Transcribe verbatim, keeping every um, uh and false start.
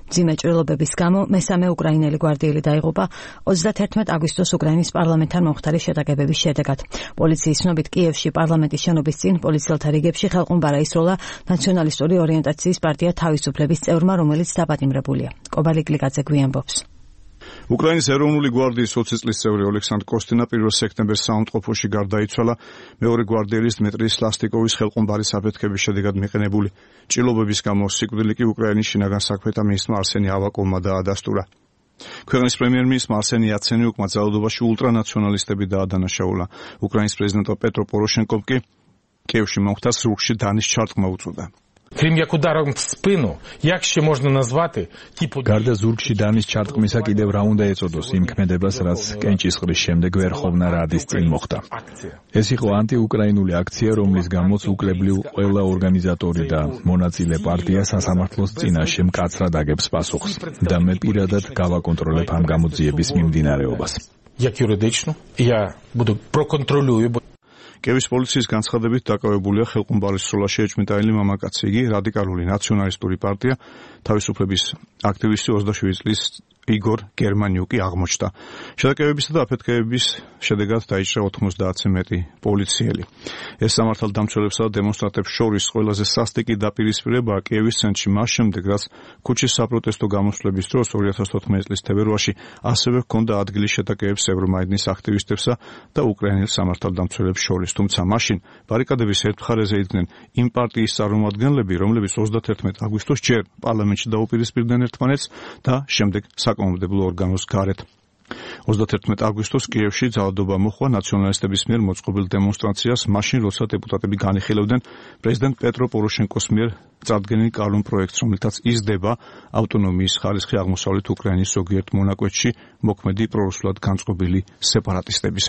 მძიმე ჭრილობების გამო მესამე უკრაინელი გვარდიელი დაიღუპა ოცდათერთმეტ აგვისტოს უკრაინის პარლამენტთან მომხდარი შეტაკებების შედეგად. პოლიციის ცნობით კიევში პარლამენტის შენობის წინ პოლიციელთა რიგებში ხელყუმბარა ისროლა ნაციონალისტური ორიენტაციის პარტია თავისუფლების წევრმა, რომელიც დაპატიმრებულია. კობალი კლიკაძე გვიანბობს. უკრაინის ეროვნული გვარდიის ოცი წლის წევრი ოლექსანდრ კოსტინა პირველ სექტემბერს საავადმყოფოში გარდაიცვალა მეორე გვარდიელის დმიტრი სლასტიკოვის ხელყუმბარის აფეთქების შედეგად მიყენებული ჭრილობების გამო სიკვდილი კი უკრაინის შინაგან საქმეთა მინისტრმა არსენი ავაკოვმა დაადასტურა. ქვეყნის პრემიერ-მინისტრმა არსენი იაცენიუკმა ძალადობაში ულტრანაციონალისტები დაადანაშაულა. უკრაინის პრეზიდენტ პეტრო პოროშენკომ კი კიევში მომხდარ ზურგში დანის ჩარტყმა უწოდა. Крім як ударом в спину, як ще можна назвати типу გარდა ზურგში დანის ჩარტყმისა კიდევ რა უნდა ეწოდოს იმ ქმედებას, რაც კენჭისყრის შემდეგ ვერხოვნა რადის წინ მოხდა. ეს იყო ანტიუკრაინული აქცია, რომლის გამოც უკლებლივ ყველა ორგანიზატორი და მონაწილე პარტია სასამართლოს წინაშე მკაცრად აგებს პასუხს და მე პირადად გავაკონტროლებ ამ გამოძიების მიმდინარეობას. Як юридично я буду проконтролюю. კიევის პოლიციის განცხადებით დაკავებულია ხელყუმბარის სროლაში ეჭვმიტანილი მამაკაცი. იგი რადიკალური ნაციონალისტური პარტია თავისუფლების აქტივისტი ოცდაშვიდი წლის იგორ გერმანიუკი აღმოჩნდა. შეტაკებებისა და აფეთქებების შედეგად დაიჭრა ოცდაათზე მეტი პოლიციელი. ეს სამართალდამცველებსა და დემონსტრანტებს შორის ყველაზე სასტიკი დაპირისპირებაა კიევის ცენტრში მას შემდეგ, რაც ქუჩის საპროტესტო გამოსვლების დროს ორი ათას თოთხმეტი წლის თებერვალში ასევე ჰქონდა ადგილი შეტაკებებს ევრომაიდნის აქტივისტებსა და უკრაინელ სამართალდამცველებს შორის. თუმცა მაშინ ბარიკადების ერთ მხარეზე იდგნენ იმ პარტიის წარმომადგენლები, რომლებიც ოცდათერთმეტ აგვისტოს ჯერ პარლამენტში დაუპირისპირდნენ ერთმანეთს და შემდეგ საკანონმდებლო ორგანოს გარეთ. ოცდათერთმეტ აგვისტოს კიევში ძალადობა მოჰყვა ნაციონალისტების მიერ მოწყობილ დემონსტრაციას, მაშინ როცა დეპუტატები განიხილავდნენ პრეზიდენტ პეტრო პოროშენკოს მიერ წარდგენილ კანონ პროექტს, რომლითაც იზრდება ავტონომიის ხარისხი აღმოსავლეთ უკრაინის ზოგიერთ მონაკვეთში მოქმედი პრორუსულად განწყობილი სეპარატისტებისათვის.